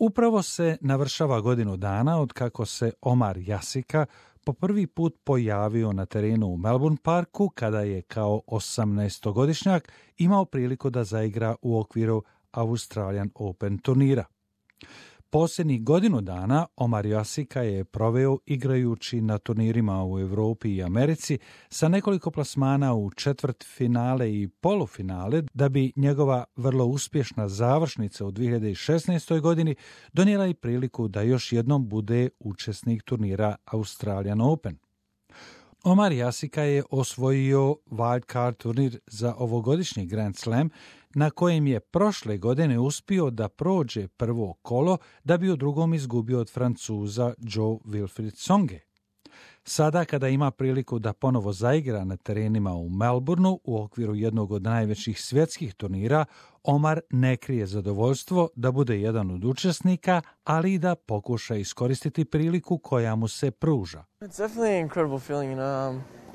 Upravo se navršava godinu dana od kako se Omar Jasika po prvi put pojavio na terenu u Melbourne Parku kada je kao 18-godišnjak imao priliku da zaigra u okviru Australian Open turnira. Posljednjih godinu dana Omar Jasika je proveo igrajući na turnirima u Europi i Americi sa nekoliko plasmana u četvrtfinale i polufinale da bi njegova vrlo uspješna završnica u 2016. godini donijela i priliku da još jednom bude učesnik turnira Australian Open. Omar Jasika je osvojio wildcard turnir za ovogodišnji Grand Slam na kojem je prošle godine uspio da prođe prvo kolo da bi u drugom izgubio od Francuza Jo-Wilfried Tsonge. Sada kada ima priliku da ponovo zaigra na terenima u Melbourneu u okviru jednog od najvećih svjetskih turnira, Omar ne krije zadovoljstvo da bude jedan od učesnika, ali i da pokuša iskoristiti priliku koja mu se pruža. It's definitely an incredible feeling,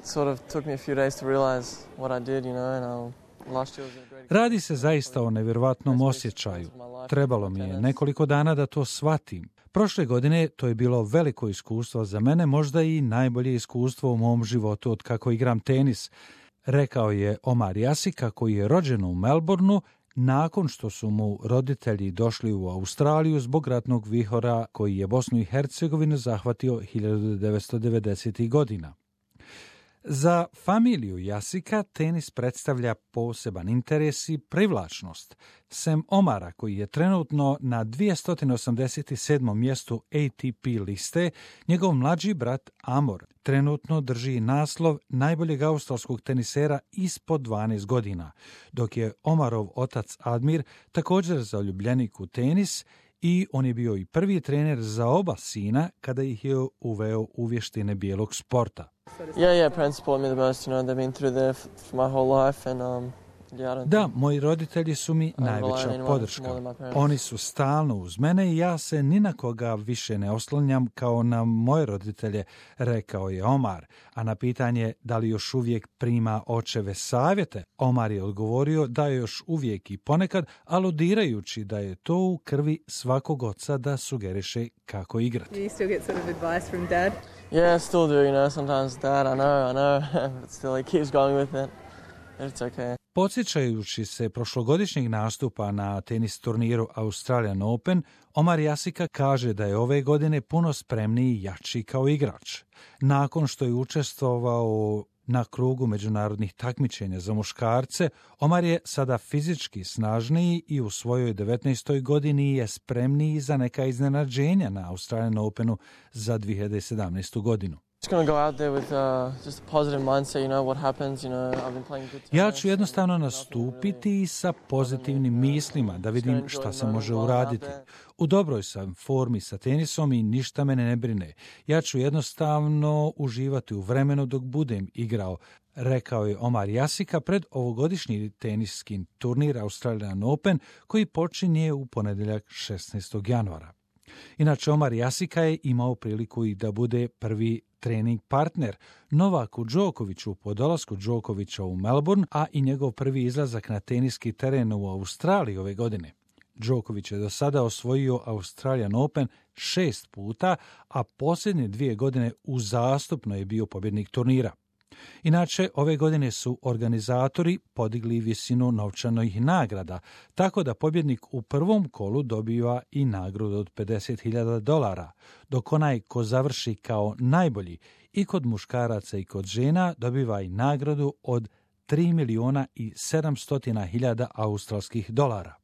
sort of took me a few days to realize what I did, and last year was a great... Radi se zaista o nevjerovatnom osjećaju. Trebalo mi je nekoliko dana da to shvatim. Prošle godine to je bilo veliko iskustvo za mene, možda i najbolje iskustvo u mom životu od kako igram tenis, rekao je Omar Jasika koji je rođen u Melbourneu nakon što su mu roditelji došli u Australiju zbog ratnog vihora koji je Bosnu i Hercegovinu zahvatio 1990. godina. Za familiju Jasika tenis predstavlja poseban interes i privlačnost. Sem Omara, koji je trenutno na 287. mjestu ATP liste, njegov mlađi brat Amor trenutno drži naslov najboljeg australskog tenisera ispod 12 godina, dok je Omarov otac Admir također zaljubljenik u tenis i on je bio i prvi trener za oba sina kada ih je uveo u vještine bijelog sporta. Yeah, parents support me the most, they've been through there for my whole life, and Da, moji roditelji su mi najveća podrška. Oni su stalno uz mene i ja se ni na koga više ne oslanjam kao na moje roditelje, rekao je Omar. A na pitanje da li još uvijek prima očeve savjete, Omar je odgovorio da je još uvijek i ponekad, aludirajući da je to u krvi svakog oca da sugeriše kako igrati. Do you still get sort of advice from dad? Yeah, I still do, sometimes dad, I know, but still he keeps going with it. It's okay. Podsjećajući se prošlogodišnjeg nastupa na tenis turniru Australian Open, Omar Jasika kaže da je ove godine puno spremniji i jači kao igrač. Nakon što je učestvovao na krugu međunarodnih takmičenja za muškarce, Omar je sada fizički snažniji i u svojoj 19. godini je spremniji za neka iznenađenja na Australian Openu za 2017. godinu. Ja ću jednostavno nastupiti sa pozitivnim mislima da vidim šta se može uraditi. U dobroj sam formi sa tenisom i ništa mene ne brine. Ja ću jednostavno uživati u vremenu dok budem igrao, rekao je Omar Jasika pred ovogodišnji teniski turnir Australian Open koji počinje u ponedjeljak 16. januara. Inače, Omar Jasika je imao priliku i da bude prvi trening partner Novaku Đokoviću po dolasku Đokovića u Melbourne, a i njegov prvi izlazak na teniski teren u Australiji ove godine. Đoković je do sada osvojio Australian Open 6 puta, a posljednje 2 godine uzastopno je bio pobjednik turnira. Inače, ove godine su organizatori podigli visinu novčanih nagrada, tako da pobjednik u prvom kolu dobiva i nagradu od $50,000, dok onaj ko završi kao najbolji i kod muškaraca i kod žena dobiva i nagradu od $3,700,000 australskih dolara.